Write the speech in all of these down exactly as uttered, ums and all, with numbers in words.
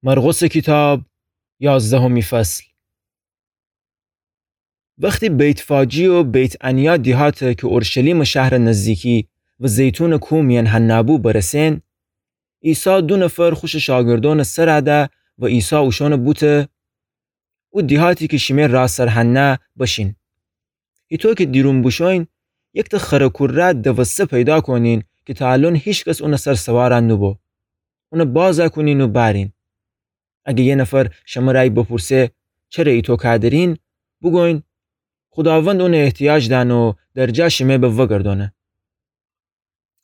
مرقسٚ کیتاب، یازدهمی فصل. وختی بیت‌فاجی و بیت‌عنیا دیهاتٚ کی اورشلیمٚ شهرٚ نزدیکی و زیتونٚ کوه میأن هنأ بو برسئن، عیسی دو نفر خوشٚ شاگردونٚ سر ده و عیسی اوشأن بوته: او دیهاتی کی شیمه راسر هنأ بشین. هیطو کی دیرون بوشوین، یکته خرٚ کوره دوسته پیدا کونین کی تا الأن هیکس اونٚ سر سوار نوبو. اون بازَ کونین و بأرین. اگه یه نفر شمره بپورسه: چره ایطو کودرین؟ بوگوین: خوداوند اون احتیاج دأنه و در جا شیمه به وگردأنه.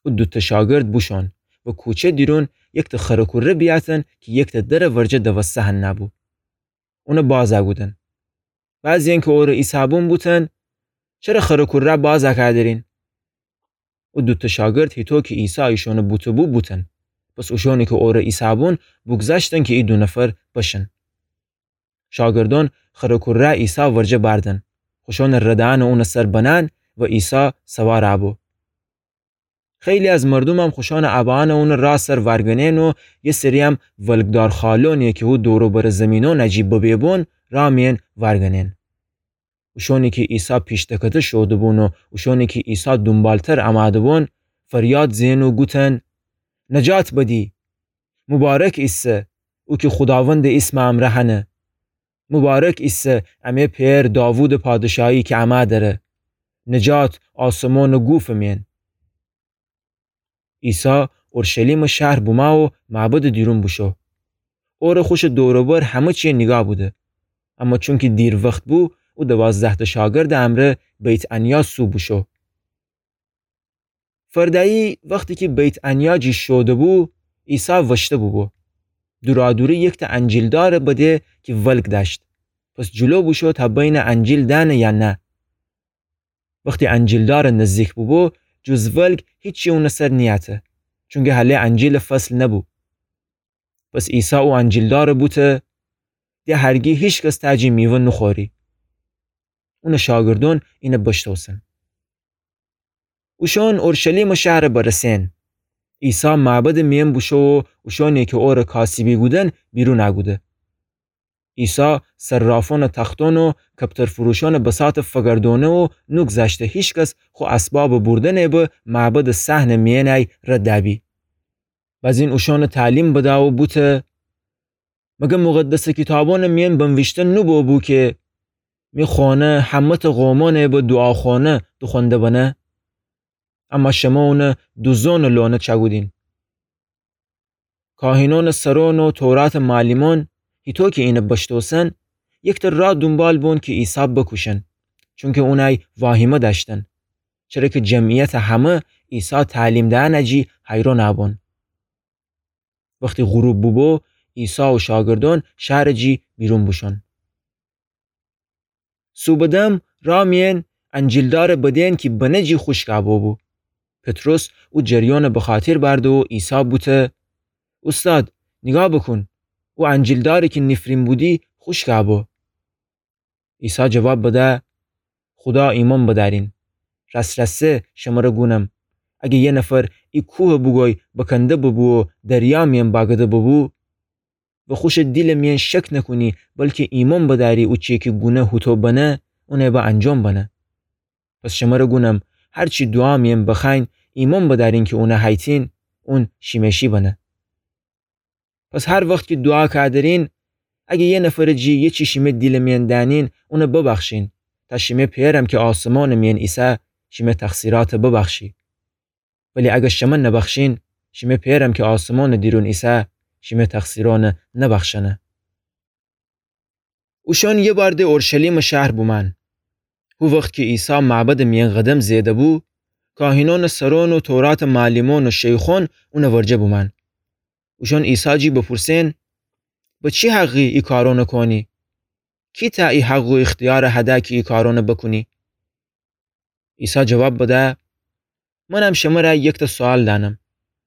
او دوتأ شاگرد بوشون و کوچه دیرون یکته خرٚ کوره بیأتن کی یکته درٚ ورجه دوسته هنأ بو. اون بازَ کودن. بعضی‌یأن کی اوره ایسه‌بون بوتن: چره خرٚ کوره بازَ کودرین؟ او دوتأ شاگرد هیطو کی عیسی ایشون بوته‌بو بوتن. پس اوشونی کی اوره ایسه‌بون بوگذشتن کی ای دو نفر بشن. شاگردون خرٚ کوره عیسی ورجه بأردن. خوشونٚ ردأن اونٚ سر بنأن و عیسی سوار بو. خیلی از مردومم خوشونٚ ابأن اونٚ راه سر وأرگنئن و یه سری‌یم ولگدار خالونی کی هو دور و برٚ زیمینون جی ببه بون راه میأن وأرگنئن. اوشونی کی عیسی پیش دکته شوده‌بون و اوشونی کی عیسی دونبالتر امأده‌بون، فریاد زئن و گوتن: نجات بدی! مبارک ایسه او کی خوداوندٚ ایسمٚ امرأ هنه! مبارک ایسه امه پئر داوودٚ پادشاهی کی امأ دره! نجات آسمونٚ گوفٚ میأن! عیسی اورشلیمٚ شهر بومأ و معبدٚ دیرون بوشو. اوره خوشٚ دور و بر همه چیه نیگاه بوده. اما چونکی دیر وخت بو، او دوازده‌تأ شاگردٚ امرأ بیت‌عنیا سو بوشو. فردأیی وختی کی بیت‌عنیا جی شوده‌بو، عیسی وشته بوبو. دورادوری یکته انجیلدارٚ بده کی ولگ دأشت. پس جلو بوشو تا بینه انجیل دأنه یا نه. وختی انجیلدار نزدیک بوبو، جز ولگ هیچی اونٚ سر نیأته، چونکی هله انجیلٚ فصل نبو. پس عیسی او انجیلدار بوته: ده هرگی هیکس تأ جی میوه نوخوری. اونٚ شاگردون اینه بشتوسن. اوشون اورشلیمٚ شهر برسئن. عیسی معبدٚ میأن بوشو و اوشونی کی اوره کاسبی کودن بیرون کوده. عیسی صرافونٚ تختون و کپترفروشونٚ بساط فگردونه و نوگذشته هیکس خو اسبابٚ بوردنٚ به معبدٚ صحنٚ میأنی رد دأبی. بزین اوشونٚ تعلیم بده و بوته: مگر مقدسٚ کیتابونٚ میأن بنویشته نوبوبو کی می خونه همه‌تأ قومونٚ به دوعاخونه دوخوأنده بنه؟ اما شمه اونه دوزونٚ لونه چأکودین. کاهینونٚ سرون و توراتٚ معلمون هیطو کی اینه بشتوسن، یکته راه دونبال بون کی عیسی بکوشن، چونکی اونی واهیمه دأشتن، چره کی جمعیتٚ همه عیسی تعلیم دهنٚ جی حیرون بون. وختی غروب بوبو، عیسی و شاگردون شهرٚ جی بیرون بوشون. صوبٚ دم راه میأن انجیلدارٚ بده‌ن کی بنه جی خوشکٚ بوبو. پطرس او جریانٚ بخاطر بأرده و عیسی بوته: اوستاد، نیگاه بوکون، او انجیلداری کی نیفرین بودی خوشکٚ بو. عیسی جواب بده: خودا ایمأن بدأرین. راس‌راسی شمره گونم، اگه یه نفر ای کوه بوگوی بکنده ببو و دریا میأن باگده ببو، و خوشٚ دیلٚ میأن شک نکونی، بلکی ایمأن بدأری او چیه کی گونه هوطو بنه، اونه به انجام بنه. پس شمره گونم، هرچی دوعا میأن بخوأیین، ایمأن بدأرین کی اونه هیتین، اون شیمه شی بنه. پس هر وخت کی دوعا کودرین، اگه یه نفرٚ جی یه چی شیمه دیلٚ میأن دأنین، اونه ببخشین، تا شیمه پئرم کی آسمانٚ میأن ایسه، شیمه تقصیرات ببخشی. ولی اگه شمه نبخشین، شیمه پئرم کی آسمانٚ دیرون ایسه، شیمه تقصیرأن نبخشأنه. اوشأن یه بار د اورشلیمٚ شهر بومأن. هو وخت کی عیسی معبدٚ میأن قدم زئده بو، کاهینأنٚ سرأن و توراتٚ معلمأن و شیخأن اونٚ ورجه بومأن. اوشأن عیسی جی بپورسئن: به چی حقی ای کارأنٚ کونی؟ کی تأ ای حق و اختیارٚ هده کی ای کارأنٚ بکونی؟ عیسی جواب بده: منم شمره یکتأ سؤال دأنم.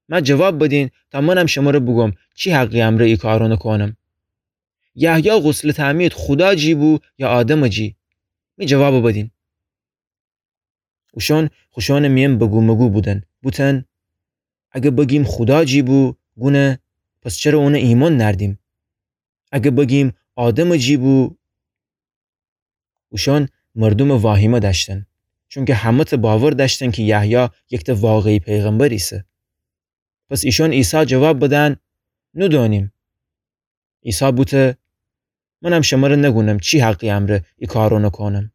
مه جواب بدین تا منم شمره بوگم چی حقی امرأ ای کارأنٚ کونم. یحیی غسلٚ تعمید خودا جی بو یا آدمٚ جی؟ می جوابٚ بدین. اوشأن خوشأنٚ میأن بگومگو بودن، بوتن: اگه بگیم خودا جی بو، گونه، پس چره اونٚ ایمأن نأردیم؟ اگه بگیم آدمٚ جی بو؟ اوشأن مردومٚ واهیمه دأشتن، چونکه همه‌تأ باور دأشتن کی یحیی یکتأ واقعی پیغمبر ایسه. پس ایشأن عیسی جواب بدن: نودونیم. عیسی بوته: منم شمره نگونم چی حقی امرأ ای کارأنه کونم.